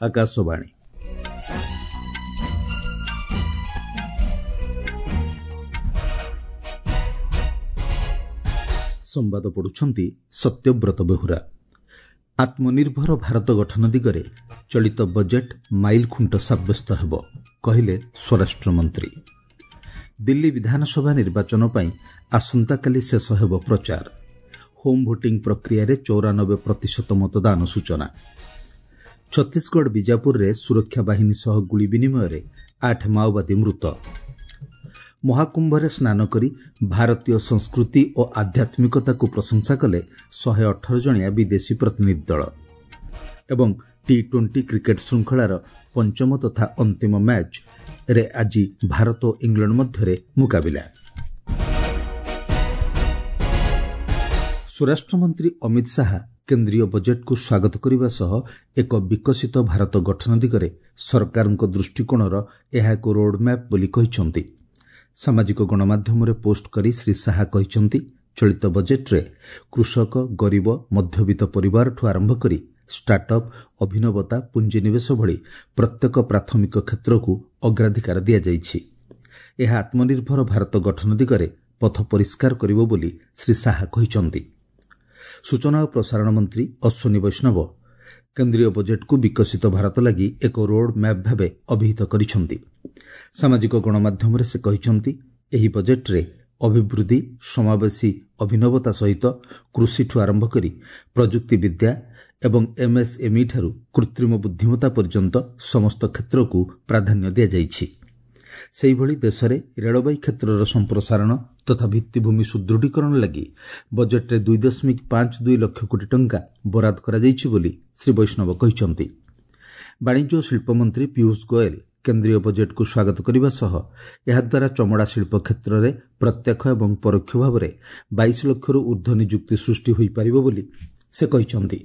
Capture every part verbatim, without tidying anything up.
ଆକାଶବାଣୀ। ସମ୍ବାଦ ପଢୁଛନ୍ତି ସତ୍ୟବ୍ରତ ବେହୁରା। ଆତ୍ମନିର୍ଭର ଭାରତ ଗଠନ ଦିଗରେ ଚଳିତ ବଜେଟ୍ ମାଇଲଖୁଣ୍ଟ ସାବ୍ୟସ୍ତ ହେବ, କହିଲେ ସ୍ୱରାଷ୍ଟ୍ରମନ୍ତ୍ରୀ। ଦିଲ୍ଲୀ ବିଧାନସଭା ନିର୍ବାଚନ ପାଇଁ ଆସନ୍ତାକାଲି ଶେଷ ହେବ ପ୍ରଚାର। ହୋମ୍ ଭୋଟିଂ ପ୍ରକ୍ରିୟାରେ ଚଉରାନବେ ପ୍ରତିଶତ ମତଦାନ ସୂଚନା। ଛତିଶଗଡ଼ ବିଜାପୁରରେ ସୁରକ୍ଷା ବାହିନୀ ସହ ଗୁଳି ବିନିମୟରେ ଆଠ ମାଓବାଦୀ ମୃତ। ମହାକୁମ୍ଭରେ ସ୍ନାନ କରି ଭାରତୀୟ ସଂସ୍କୃତି ଓ ଆଧ୍ୟାତ୍ମିକତାକୁ ପ୍ରଶଂସା କଲେ ଶହେ ଅଠର ଜଣିଆ ବିଦେଶୀ ପ୍ରତିନିଧି ଦଳ। ଏବଂ ଟି ଟ୍ୱେଣ୍ଟି କ୍ରିକେଟ୍ ଶୃଙ୍ଖଳାର ପଞ୍ଚମ ତଥା ଅନ୍ତିମ ମ୍ୟାଚ୍ରେ ଆଜି ଭାରତ ଓ ଇଂଲଣ୍ଡ ମଧ୍ୟରେ ମୁକାବିଲା। ସ୍ୱରାଷ୍ଟ୍ରମନ୍ତ୍ରୀ ଅମିତ ଶାହା କେନ୍ଦ୍ରୀୟ ବଜେଟ୍କୁ ସ୍ୱାଗତ କରିବା ସହ ଏକ ବିକଶିତ ଭାରତ ଗଠନ ଦିଗରେ ସରକାରଙ୍କ ଦୃଷ୍ଟିକୋଣର ଏହା ଏକ ରୋଡ୍ମ୍ୟାପ୍ ବୋଲି କହିଛନ୍ତି। ସାମାଜିକ ଗଣମାଧ୍ୟମରେ ପୋଷ୍ଟ କରି ଶ୍ରୀ ଶାହା କହିଛନ୍ତି, ଚଳିତ ବଜେଟ୍ରେ କୃଷକ, ଗରିବ, ମଧ୍ୟବିତ୍ତ ପରିବାରଠୁ ଆରମ୍ଭ କରି ଷ୍ଟାର୍ଟଅପ୍, ଅଭିନବତା, ପୁଞ୍ଜିନିବେଶ ଭଳି ପ୍ରତ୍ୟେକ ପ୍ରାଥମିକ କ୍ଷେତ୍ରକୁ ଅଗ୍ରାଧିକାର ଦିଆଯାଇଛି। ଏହା ଆତ୍ମନିର୍ଭର ଭାରତ ଗଠନ ଦିଗରେ ପଥ ପରିଷ୍କାର କରିବ ବୋଲି ଶ୍ରୀ ଶାହା କହିଛନ୍ତି। ସୂଚନା ଓ ପ୍ରସାରଣ ମନ୍ତ୍ରୀ ଅଶ୍ୱିନୀ ବୈଷ୍ଣବ କେନ୍ଦ୍ରୀୟ ବଜେଟ୍କୁ ବିକଶିତ ଭାରତ ଲାଗି ଏକ ରୋଡ୍ ମ୍ୟାପ୍ ଭାବେ ଅଭିହିତ କରିଛନ୍ତି। ସାମାଜିକ ଗଣମାଧ୍ୟମରେ ସେ କହିଛନ୍ତି, ଏହି ବଜେଟ୍ରେ ଅଭିବୃଦ୍ଧି, ସମାବେଶୀ ଅଭିନବତା ସହିତ କୃଷିଠୁ ଆରମ୍ଭ କରି ପ୍ରଯୁକ୍ତିବିଦ୍ୟା ଏବଂ ଏମ୍ଏସ୍ଏମ୍ଇଠାରୁ କୃତ୍ରିମ ବୁଦ୍ଧିମତ୍ତା ପର୍ଯ୍ୟନ୍ତ ସମସ୍ତ କ୍ଷେତ୍ରକୁ ପ୍ରାଧାନ୍ୟ ଦିଆଯାଇଛି। ସେହିଭଳି ଦେଶରେ ରେଳବାଇ କ୍ଷେତ୍ରର ସମ୍ପ୍ରସାରଣ ତଥା ଭିତ୍ତିଭୂମି ସୁଦୃଢ଼ୀକରଣ ଲାଗି ବଜେଟ୍ରେ ଦୁଇ ଦଶମିକ ପାଞ୍ଚ ଦୁଇ ଲକ୍ଷ କୋଟି ଟଙ୍କା ବରାଦ କରାଯାଇଛି ବୋଲି ଶ୍ରୀ ବୈଷ୍ଣବ କହିଛନ୍ତି। ବାଣିଜ୍ୟ ଓ ଶିଳ୍ପମନ୍ତ୍ରୀ ପୀୟୁଷ ଗୋଏଲ କେନ୍ଦ୍ରୀୟ ବଜେଟ୍କୁ ସ୍ୱାଗତ କରିବା ସହ ଏହାଦ୍ୱାରା ଚମଡ଼ା ଶିଳ୍ପ କ୍ଷେତ୍ରରେ ପ୍ରତ୍ୟକ୍ଷ ଏବଂ ପରୋକ୍ଷ ଭାବରେ ବାଇଶ ଲକ୍ଷରୁ ଊର୍ଦ୍ଧ୍ୱ ନିଯୁକ୍ତି ସୃଷ୍ଟି ହୋଇପାରିବ ବୋଲି ସେ କହିଛନ୍ତି।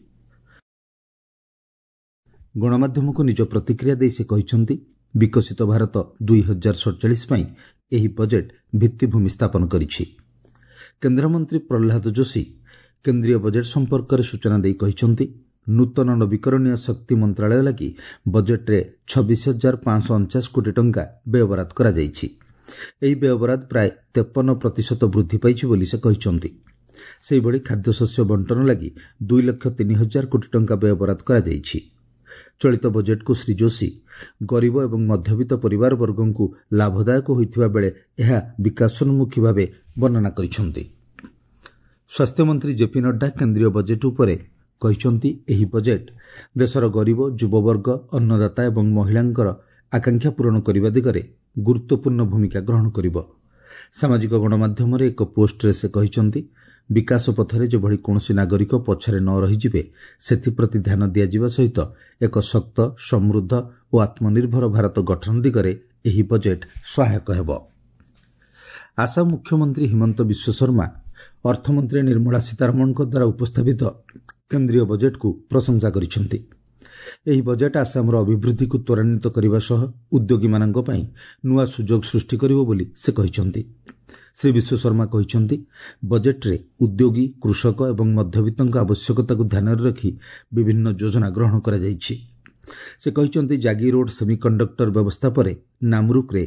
ଗଣମାଧ୍ୟମକୁ ନିଜ ପ୍ରତିକ୍ରିୟା ଦେଇ ସେ କହିଛନ୍ତି, ବିକଶିତ ଭାରତ ଦୁଇ ହଜାର ସଡ଼ଚାଳିଶ ପାଇଁ ଏହି ବଜେଟ୍ ଭିତ୍ତିଭୂମି ସ୍ଥାପନ କରିଛି। କେନ୍ଦ୍ରମନ୍ତ୍ରୀ ପ୍ରହ୍ଲାଦ ଯୋଶୀ କେନ୍ଦ୍ରୀୟ ବଜେଟ୍ ସମ୍ପର୍କରେ ସୂଚନା ଦେଇ କହିଛନ୍ତି, ନୂତନ ନବୀକରଣୀୟ ଶକ୍ତି ମନ୍ତ୍ରାଳୟ ଲାଗି ବଜେଟ୍ରେ ଛବିଶ ହଜାର ପାଞ୍ଚଶହ ଅଣଚାଶ କୋଟି ଟଙ୍କା ବ୍ୟୟବରାଦ କରାଯାଇଛି। ଏହି ବ୍ୟୟବରାଦ ପ୍ରାୟ ତେପନ ପ୍ରତିଶତ ବୃଦ୍ଧି ପାଇଛି ବୋଲି ସେ କହିଛନ୍ତି। ସେହିଭଳି ଖାଦ୍ୟଶସ୍ୟ ବଣ୍ଟନ ଲାଗି ଦୁଇ ଲକ୍ଷ ତିନି ହଜାର କୋଟି ଟଙ୍କା ବ୍ୟୟବରାଦ କରାଯାଇଛି। ଚଳିତ ବଜେଟ୍କୁ ଶ୍ରୀ ଯୋଶୀ ଗରିବ ଏବଂ ମଧ୍ୟବିତ୍ତ ପରିବାରବର୍ଗଙ୍କୁ ଲାଭଦାୟକ ହୋଇଥିବା ବେଳେ ଏହା ବିକାଶୋନ୍ମୁଖୀ ଭାବେ ବର୍ଣ୍ଣନା କରିଛନ୍ତି। ସ୍ୱାସ୍ଥ୍ୟମନ୍ତ୍ରୀ ଜେପି ନଡ୍ଡା କେନ୍ଦ୍ରୀୟ ବଜେଟ୍ ଉପରେ କହିଛନ୍ତି, ଏହି ବଜେଟ୍ ଦେଶର ଗରିବ, ଯୁବବର୍ଗ, ଅନ୍ନଦାତା ଏବଂ ମହିଳାଙ୍କର ଆକାଂକ୍ଷା ପୂରଣ କରିବା ଦିଗରେ ଗୁରୁତ୍ୱପୂର୍ଣ୍ଣ ଭୂମିକା ଗ୍ରହଣ କରିବ। ସାମାଜିକ ଗଣମାଧ୍ୟମରେ ଏକ ପୋଷ୍ଟରେ ସେ କହିଛନ୍ତି, ବିକାଶ ପଥରେ ଯେଭଳି କୌଣସି ନାଗରିକ ପଛରେ ନ ରହିଯିବେ ସେଥିପ୍ରତି ଧ୍ୟାନ ଦିଆଯିବା ସହିତ ଏକ ଶକ୍ତ, ସମୃଦ୍ଧ ଓ ଆତ୍ମନିର୍ଭର ଭାରତ ଗଠନ ଦିଗରେ ଏହି ବଜେଟ୍ ସହାୟକ ହେବ। ଆସାମ ମୁଖ୍ୟମନ୍ତ୍ରୀ ହିମନ୍ତ ବିଶ୍ୱଶର୍ମା ଅର୍ଥମନ୍ତ୍ରୀ ନିର୍ମଳା ସୀତାରମଣଙ୍କ ଦ୍ୱାରା ଉପସ୍ଥାପିତ କେନ୍ଦ୍ରୀୟ ବଜେଟ୍କୁ ପ୍ରଶଂସା କରିଛନ୍ତି। ଏହି ବଜେଟ୍ ଆସାମର ଅଭିବୃଦ୍ଧିକୁ ତ୍ୱରାନ୍ୱିତ କରିବା ସହ ଉଦ୍ୟୋଗୀମାନଙ୍କ ପାଇଁ ନୂଆ ସୁଯୋଗ ସୃଷ୍ଟି କରିବ ବୋଲି ସେ କହିଛନ୍ତି। ଶ୍ରୀ ବିଶ୍ୱଶର୍ମା କହିଛନ୍ତି, ବଜେଟ୍ରେ ଉଦ୍ୟୋଗୀ, କୃଷକ ଏବଂ ମଧ୍ୟବିତ୍ତଙ୍କ ଆବଶ୍ୟକତାକୁ ଧ୍ୟାନରେ ରଖି ବିଭିନ୍ନ ଯୋଜନା ଗ୍ରହଣ କରାଯାଇଛି। ସେ କହିଛନ୍ତି, ଜାଗିରୋଡ୍ ସେମିକଣ୍ଡକ୍ଟର ବ୍ୟବସ୍ଥା ପରେ ନାମରୁକ୍ରେ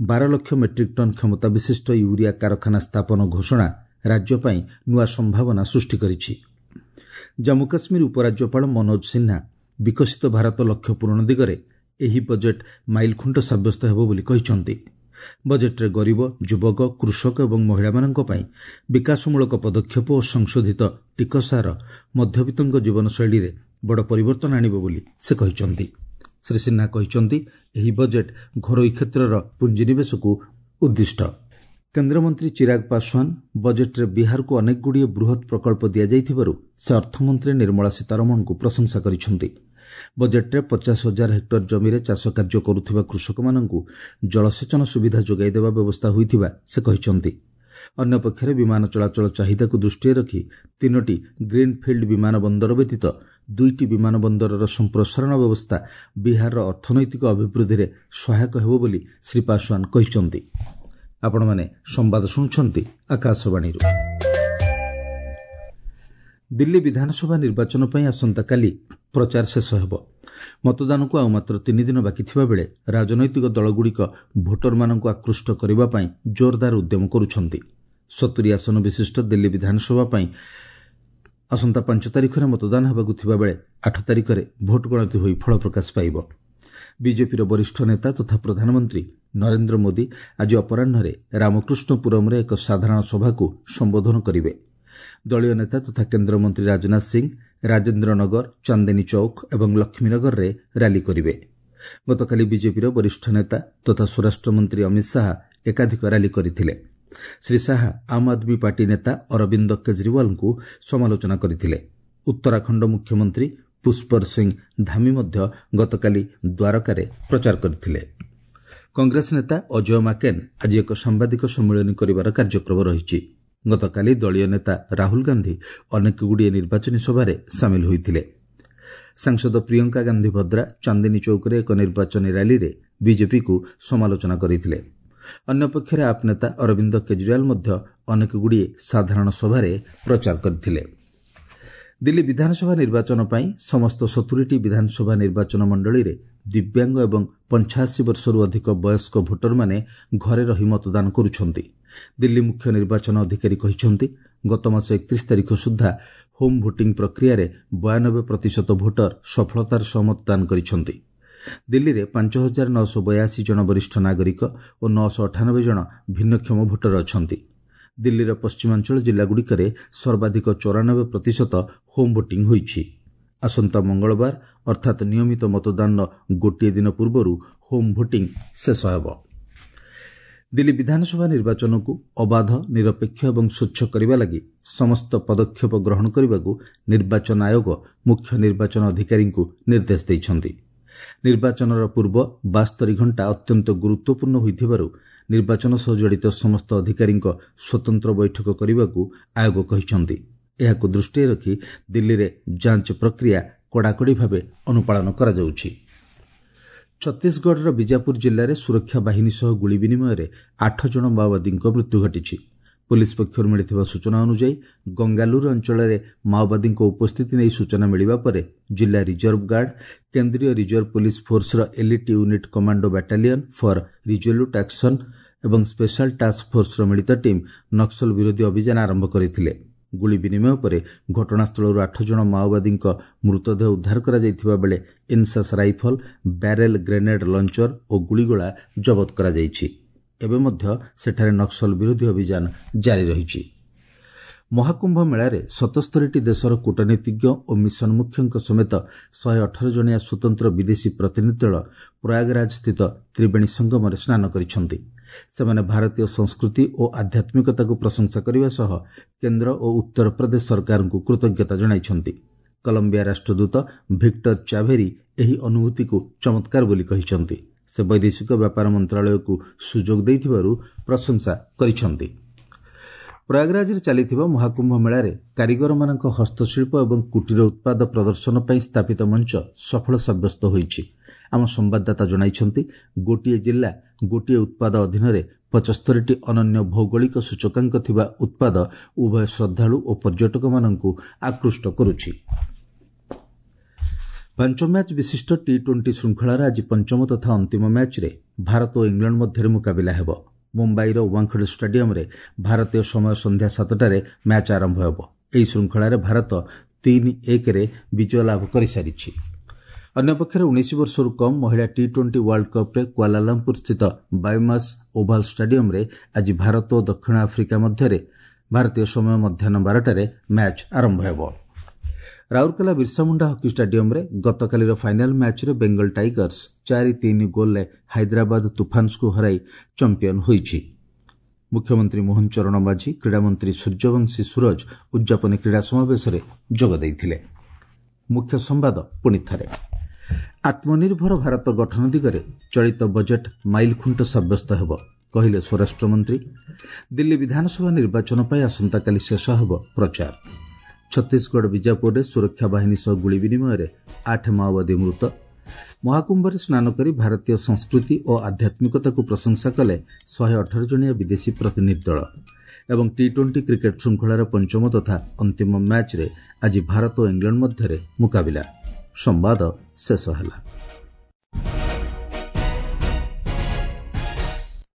ବାର ଲକ୍ଷ ମେଟ୍ରିକ୍ ଟନ୍ କ୍ଷମତା ବିଶିଷ୍ଟ ୟୁରିଆ କାରଖାନା ସ୍ଥାପନ ଘୋଷଣା ରାଜ୍ୟ ପାଇଁ ନୂଆ ସମ୍ଭାବନା ସୃଷ୍ଟି କରିଛି। ଜାମ୍ମୁ କାଶ୍ମୀର ଉପରାଜ୍ୟପାଳ ମନୋଜ ସିହ୍ନା ବିକଶିତ ଭାରତ ଲକ୍ଷ୍ୟ ପୂରଣ ଦିଗରେ ଏହି ବଜେଟ୍ ମାଇଲଖୁଣ୍ଟ ସାବ୍ୟସ୍ତ ହେବ ବୋଲି କହିଛନ୍ତି। ବଜେଟ୍ରେ ଗରିବ, ଯୁବକ, କୃଷକ ଏବଂ ମହିଳାମାନଙ୍କ ପାଇଁ ବିକାଶମୂଳକ ପଦକ୍ଷେପ ଓ ସଂଶୋଧିତ ଟିକସ ହାର ମଧ୍ୟବିତ୍ତଙ୍କ ଜୀବନଶୈଳୀରେ ବଡ଼ ପରିବର୍ତ୍ତନ ଆଣିବ ବୋଲି ସେ କହିଛନ୍ତି। ଶ୍ରୀ ସିହ୍ନା କହିଛନ୍ତି, ଏହି ବଜେଟ୍ ଘରୋଇ କ୍ଷେତ୍ରର ପୁଞ୍ଜିନିବେଶକୁ ଉଦ୍ଦିଷ୍ଟ। କେନ୍ଦ୍ରମନ୍ତ୍ରୀ ଚିରାଗ ପାଶୱାନ ବଜେଟ୍ରେ ବିହାରକୁ ଅନେକଗୁଡ଼ିଏ ବୃହତ୍ ପ୍ରକଳ୍ପ ଦିଆଯାଇଥିବାରୁ ସେ ଅର୍ଥମନ୍ତ୍ରୀ ନିର୍ମଳା ସୀତାରମଣଙ୍କୁ ପ୍ରଶଂସା କରିଛନ୍ତି। ବଜେଟ୍ରେ ପଚାଶ ହଜାର ହେକ୍ଟର ଜମିରେ ଚାଷ କାର୍ଯ୍ୟ କରୁଥିବା କୃଷକମାନଙ୍କୁ ଜଳସେଚନ ସୁବିଧା ଯୋଗାଇ ଦେବା ବ୍ୟବସ୍ଥା ହୋଇଥିବା ସେ କହିଛନ୍ତି। ଅନ୍ୟପକ୍ଷରେ ବିମାନ ଚଳାଚଳ ଚାହିଦାକୁ ଦୃଷ୍ଟିରେ ରଖି ତିନୋଟି ଗ୍ରୀନ୍ଫିଲ୍ଡ ବିମାନ ବନ୍ଦର ବ୍ୟତୀତ ଦୁଇଟି ବିମାନ ବନ୍ଦରର ସମ୍ପ୍ରସାରଣ ବ୍ୟବସ୍ଥା ବିହାରର ଅର୍ଥନୈତିକ ଅଭିବୃଦ୍ଧିରେ ସହାୟକ ହେବ ବୋଲି ଶ୍ରୀ ପାଶୱାନ କହିଛନ୍ତି। ଆପଣମାନେ ସମ୍ବାଦ ଶୁଣୁଛନ୍ତି ଆକାଶବାଣୀରୁ। ଦିଲ୍ଲୀ ବିଧାନସଭା ନିର୍ବାଚନ ପାଇଁ ଆସନ୍ତାକାଲି ପ୍ରଚାର ଶେଷ ହେବ। ମତଦାନକୁ ଆଉ ମାତ୍ର ତିନି ଦିନ ବାକି ଥିବାବେଳେ ରାଜନୈତିକ ଦଳଗୁଡ଼ିକ ଭୋଟରମାନଙ୍କୁ ଆକୃଷ୍ଟ କରିବା ପାଇଁ ଜୋରଦାର ଉଦ୍ୟମ କରୁଛନ୍ତି। ସତୁରି ଆସନ ବିଶିଷ୍ଟ ଦିଲ୍ଲୀ ବିଧାନସଭା ପାଇଁ ଆସନ୍ତା ପାଞ୍ଚ ତାରିଖରେ ମତଦାନ ହେବାକୁ ଥିବାବେଳେ ଆଠ ତାରିଖରେ ଭୋଟ ଗଣତି ହୋଇ ଫଳ ପ୍ରକାଶ ପାଇବ। ବିଜେପିର ବରିଷ୍ଠ ନେତା ତଥା ପ୍ରଧାନମନ୍ତ୍ରୀ ନରେନ୍ଦ୍ର ମୋଦି ଆଜି ଅପରାହ୍ନରେ ରାମକୃଷ୍ଣପୁରମରେ ଏକ ସାଧାରଣ ସଭାକୁ ସମ୍ବୋଧନ କରିବେ। ଦଳୀୟ ନେତା ତଥା କେନ୍ଦ୍ରମନ୍ତ୍ରୀ ରାଜନାଥ ସିଂ ରାଜେନ୍ଦ୍ର ନଗର, ଚାନ୍ଦିନୀ ଚୌକ ଏବଂ ଲକ୍ଷ୍ମୀନଗରରେ ର୍ୟାଲି କରିବେ। ଗତକାଲି ବିଜେପିର ବରିଷ୍ଠ ନେତା ତଥା ସ୍ୱରାଷ୍ଟ୍ରମନ୍ତ୍ରୀ ଅମିତ ଶାହା ଏକାଧିକ ର୍ୟାଲି କରିଥିଲେ। ଶ୍ରୀ ଶାହା ଆମ୍ ଆଦମୀ ପାର୍ଟି ନେତା ଅରବିନ୍ଦ କେଜରିୱାଲଙ୍କୁ ସମାଲୋଚନା କରିଥିଲେ। ଉତ୍ତରାଖଣ୍ଡ ମୁଖ୍ୟମନ୍ତ୍ରୀ ପୁଷ୍ପର ସିଂ ଧାମି ମଧ୍ୟ ଗତକାଲି ଦ୍ୱାରକାରେ ପ୍ରଚାର କରିଥିଲେ। କଂଗ୍ରେସ ନେତା ଅଜୟ ମାକେନ୍ ଆଜି ଏକ ସାମ୍ବାଦିକ ସମ୍ମିଳନୀ କରିବାର କାର୍ଯ୍ୟକ୍ରମ ରହିଛି। ଗତକାଲି ଦଳୀୟ ନେତା ରାହୁଲ ଗାନ୍ଧି ଅନେକଗୁଡ଼ିଏ ନିର୍ବାଚନୀ ସଭାରେ ସାମିଲ ହୋଇଥିଲେ। ସାଂସଦ ପ୍ରିୟଙ୍କା ଗାନ୍ଧି ଭଦ୍ରା ଚାନ୍ଦିନୀ ଚୌକରେ ଏକ ନିର୍ବାଚନୀ ର୍ୟାଲିରେ ବିଜେପିକୁ ସମାଲୋଚନା କରିଥିଲେ। ଅନ୍ୟପକ୍ଷରେ ଆପ୍ ନେତା ଅରବିନ୍ଦ କେଜରିୱାଲ ମଧ୍ୟ ଅନେକଗୁଡ଼ିଏ ସାଧାରଣ ସଭାରେ ପ୍ରଚାର କରିଥିଲେ। ଦିଲ୍ଲୀ ବିଧାନସଭା ନିର୍ବାଚନ ପାଇଁ ସମସ୍ତ ସତୁରିଟି ବିଧାନସଭା ନିର୍ବାଚନ ମଣ୍ଡଳୀରେ ଦିବ୍ୟାଙ୍ଗ ଏବଂ ପଞ୍ଚାଅଶୀ ବର୍ଷରୁ ଅଧିକ ବୟସ୍କ ଭୋଟରମାନେ ଘରେ ରହି ମତଦାନ କରୁଛନ୍ତି। ଦିଲ୍ଲୀ ମୁଖ୍ୟ ନିର୍ବାଚନ ଅଧିକାରୀ କହିଛନ୍ତି, ଗତମାସ ଏକତିରିଶ ତାରିଖ ସୁଦ୍ଧା ହୋମ୍ ଭୋଟିଂ ପ୍ରକ୍ରିୟାରେ ବୟାନବେ ପ୍ରତିଶତ ଭୋଟର ସଫଳତାର ସହ ମତଦାନ କରିଛନ୍ତି। ଦିଲ୍ଲୀରେ ପାଞ୍ଚ ହଜାର ନଅଶହ ବୟାଅଶୀ ଜଣ ବରିଷ୍ଠ ନାଗରିକ ଓ ନଅଶହ ଅଠାନବେ ଜଣ ଭିନ୍ନକ୍ଷମ ଭୋଟର ଅଛନ୍ତି। ଦିଲ୍ଲୀର ପଶ୍ଚିମାଞ୍ଚଳ ଜିଲ୍ଲାଗୁଡ଼ିକରେ ସର୍ବାଧିକ ଚଉରାନବେ ପ୍ରତିଶତ ହୋମ୍ ଭୋଟିଂ ହୋଇଛି। ଆସନ୍ତା ମଙ୍ଗଳବାର ଅର୍ଥାତ୍ ନିୟମିତ ମତଦାନର ଗୋଟିଏ ଦିନ ପୂର୍ବରୁ ହୋମ୍ ଭୋଟିଂ ଶେଷ ହେବ। ଦିଲ୍ଲୀ ବିଧାନସଭା ନିର୍ବାଚନକୁ ଅବାଧ, ନିରପେକ୍ଷ ଏବଂ ସ୍ୱଚ୍ଛ କରିବା ଲାଗି ସମସ୍ତ ପଦକ୍ଷେପ ଗ୍ରହଣ କରିବାକୁ ନିର୍ବାଚନ ଆୟୋଗ ମୁଖ୍ୟ ନିର୍ବାଚନ ଅଧିକାରୀଙ୍କୁ ନିର୍ଦ୍ଦେଶ ଦେଇଛନ୍ତି। ନିର୍ବାଚନର ପୂର୍ବ ବାସ୍ତରି ଘଣ୍ଟା ଅତ୍ୟନ୍ତ ଗୁରୁତ୍ୱପୂର୍ଣ୍ଣ ହୋଇଥିବାରୁ ନିର୍ବାଚନ ସହ ଜଡ଼ିତ ସମସ୍ତ ଅଧିକାରୀଙ୍କ ସ୍ୱତନ୍ତ୍ର ବୈଠକ କରିବାକୁ ଆୟୋଗ କହିଛନ୍ତି। ଏହାକୁ ଦୃଷ୍ଟିରେ ରଖି ଦିଲ୍ଲୀରେ ଯାଞ୍ଚ ପ୍ରକ୍ରିୟା କଡ଼ାକଡ଼ି ଭାବେ ଅନୁପାଳନ କରାଯାଉଛି। ଛତିଶଗଡ଼ର ବିଜାପୁର ଜିଲ୍ଲାରେ ସୁରକ୍ଷା ବାହିନୀ ସହ ଗୁଳି ବିନିମୟରେ ଆଠ ଜଣ ମାଓବାଦୀଙ୍କ ମୃତ୍ୟୁ ଘଟିଛି। ପୋଲିସ ପକ୍ଷରୁ ମିଳିଥିବା ସୂଚନା ଅନୁଯାୟୀ ଗଙ୍ଗାଲୁର ଅଞ୍ଚଳରେ ମାଓବାଦୀଙ୍କ ଉପସ୍ଥିତି ନେଇ ସୂଚନା ମିଳିବା ପରେ ଜିଲ୍ଲା ରିଜର୍ଭ ଗାର୍ଡ, କେନ୍ଦ୍ରୀୟ ରିଜର୍ଭ ପୋଲିସ ଫୋର୍ସର elite unit commando battalion for resolute action ଏବଂ ସ୍ପେଶାଲ ଟାସ୍କ ଫୋର୍ସର ମିଳିତ ଟିମ୍ ନକ୍ସଲ ବିରୋଧୀ ଅଭିଯାନ ଆରମ୍ଭ କରିଥିଲେ। ଗୁଳି ବିନିମୟ ପରେ ଘଟଣାସ୍ଥଳରୁ ଆଠ ଜଣ ମାଓବାଦୀଙ୍କ ମୃତଦେହ ଉଦ୍ଧାର କରାଯାଇଥିବା ବେଳେ INSAS rifle, barrel grenade launcher ଓ ଗୁଳିଗୋଳା ଜବତ କରାଯାଇଛି। ଏବେ ମଧ୍ୟ ସେଠାରେ ନକ୍ସଲ ବିରୋଧୀ ଅଭିଯାନ ଜାରି ରହିଛି। ମହାକୁମ୍ଭ ମେଳାରେ ସତସ୍ତରୀଟି ଦେଶର କୂଟନୀତିଜ୍ଞ ଓ ମିଶନ ମୁଖ୍ୟଙ୍କ ସମେତ ଶହେ ଅଠର ଜଣିଆ ସ୍ୱତନ୍ତ୍ର ବିଦେଶୀ ପ୍ରତିନିଧି ଦଳ ପ୍ରୟାଗରାଜ ସ୍ଥିତ ତ୍ରିବେଣୀ ସଙ୍ଗମରେ ସ୍ନାନ କରିଛନ୍ତି। ସେମାନେ ଭାରତୀୟ ସଂସ୍କୃତି ଓ ଆଧ୍ୟାତ୍ମିକତାକୁ ପ୍ରଶଂସା କରିବା ସହ କେନ୍ଦ୍ର ଓ ଉତ୍ତରପ୍ରଦେଶ ସରକାରଙ୍କୁ କୃତଜ୍ଞତା ଜଣାଇଛନ୍ତି। କଲମ୍ବିଆ ରାଷ୍ଟ୍ରଦୂତ ଭିକ୍ଟର ଚାଭେରି ଏହି ଅନୁଭୂତିକୁ ଚମତ୍କାର ବୋଲି କହିଛନ୍ତି। ସେ ବୈଦେଶିକ ବ୍ୟାପାର ମନ୍ତ୍ରଣାଳୟକୁ ସୁଯୋଗ ଦେଇଥିବାରୁ ପ୍ରଶଂସା କରିଛନ୍ତି। ପ୍ରୟାଗରାଜରେ ଚାଲିଥିବା ମହାକୁମ୍ଭ ମେଳାରେ କାରିଗରମାନଙ୍କ ହସ୍ତଶିଳ୍ପ ଏବଂ କୁଟୀର ଉତ୍ପାଦ ପ୍ରଦର୍ଶନ ପାଇଁ ସ୍ଥାପିତ ମଞ୍ଚ ସଫଳ ସାବ୍ୟସ୍ତ ହୋଇଛି। ଆମ ସମ୍ବାଦଦାତା ଜଣାଇଛନ୍ତି, ଗୋଟିଏ ଜିଲ୍ଲା ଗୋଟିଏ ଉତ୍ପାଦ ଅଧୀନରେ ପଚସ୍ତରୀଟି ଅନନ୍ୟ ଭୌଗୋଳିକ ସୂଚକାଙ୍କ ଥିବା ଉତ୍ପାଦ ଉଭୟ ଶ୍ରଦ୍ଧାଳୁ ଓ ପର୍ଯ୍ୟଟକମାନଙ୍କୁ ଆକୃଷ୍ଟ କରୁଛି। ପାଞ୍ଚ ମ୍ୟାଚ୍ ବିଶିଷ୍ଟ ଟି ଟ୍ୱେଣ୍ଟି ଶୃଙ୍ଖଳାର ଆଜି ପଞ୍ଚମ ତଥା ଅନ୍ତିମ ମ୍ୟାଚ୍ରେ ଭାରତ ଓ ଇଂଲଣ୍ଡ ମଧ୍ୟରେ ମୁକାବିଲା ହେବ। ମୁମ୍ବାଇର ୱାଙ୍ଗଖଡେ ଷ୍ଟାଡିୟମରେ ଭାରତୀୟ ସମୟ ସନ୍ଧ୍ୟା ସାତଟାରେ ମ୍ୟାଚ୍ ଆରମ୍ଭ ହେବ। ଏହି ଶୃଙ୍ଖଳାରେ ଭାରତ ତିନି ଏକରେ ବିଜୟ ଲାଭ କରିସାରିଛି। ଅନ୍ୟପକ୍ଷରେ ଉଣେଇଶ ବର୍ଷରୁ କମ୍ ମହିଳା ଟି ଟ୍ୱେଣ୍ଟି ୱାର୍ଲଡ କପ୍ରେ କୁଆଲାଲମ୍ପୁର ସ୍ଥିତ ବାୟୋମାସ୍ ଓଭାଲ ଷ୍ଟାଡିୟମରେ ଆଜି ଭାରତ ଓ ଦକ୍ଷିଣ ଆଫ୍ରିକା ମଧ୍ୟରେ ଭାରତୀୟ ସମୟ ମଧ୍ୟାହ୍ନ ବାରଟାରେ ମ୍ୟାଚ୍ ଆରମ୍ଭ ହେବ। ରାଉରକେଲା ବିର୍ସାମୁଣ୍ଡା ହକି ଷ୍ଟାଡିୟମରେ ଗତକାଲିର ଫାଇନାଲ ମ୍ୟାଚ୍ରେ ବେଙ୍ଗଲ ଟାଇଗର୍ସ ଚାରି ତିନି ଗୋଲ୍ରେ ହାଇଦ୍ରାବାଦ ତୁଫାନ୍ସକୁ ହରାଇ ଚାମ୍ପିୟନ ହୋଇଛି। ମୁଖ୍ୟମନ୍ତ୍ରୀ ମୋହନ ଚରଣ ମାଝୀ, କ୍ରୀଡ଼ାମନ୍ତ୍ରୀ ସୂର୍ଯ୍ୟବଂଶୀ ସୁରଜ ଉଦ୍ଯାପନୀ କ୍ରୀଡ଼ା ସମାବେଶରେ ଯୋଗ ଦେଇଥିଲେ। ମୁଖ୍ୟ ସମ୍ବାଦ ପୁଣି ଥରେ, ଆତ୍ମନିର୍ଭର ଭାରତ ଗଠନ ଦିଗରେ ଚଳିତ ବଜେଟ୍ ମାଇଲଖୁଣ୍ଟ ସାବ୍ୟସ୍ତ ହେବ, କହିଲେ ସ୍ୱରାଷ୍ଟ୍ରମନ୍ତ୍ରୀ। ଦିଲ୍ଲୀ ବିଧାନସଭା ନିର୍ବାଚନ ପାଇଁ ଆସନ୍ତାକାଲି ଶେଷ ହେବ ପ୍ରଚାର। ଛତିଶଗଡ଼ ବିଜାପୁରରେ ସୁରକ୍ଷା ବାହିନୀ ସହ ଗୁଳି ବିନିମୟରେ ଆଠ ମାଓବାଦୀ ମୃତ। ମହାକୁମ୍ଭରେ ସ୍ନାନ କରି ଭାରତୀୟ ସଂସ୍କୃତି ଓ ଆଧ୍ୟାତ୍ମିକତାକୁ ପ୍ରଶଂସା କଲେ ଶହେ ଅଠର ଜଣିଆ ବିଦେଶୀ ପ୍ରତିନିଧି ଦଳ। ଏବଂ ଟି ଟ୍ୱେଣ୍ଟି କ୍ରିକେଟ୍ ଶୃଙ୍ଖଳାର ପଞ୍ଚମ ତଥା ଅନ୍ତିମ ମ୍ୟାଚ୍ରେ ଆଜି ଭାରତ ଓ ଇଂଲଣ୍ଡ ମଧ୍ୟରେ ମୁକାବିଲା। ସମ୍ବାଦ ଶେଷ ହେଲା।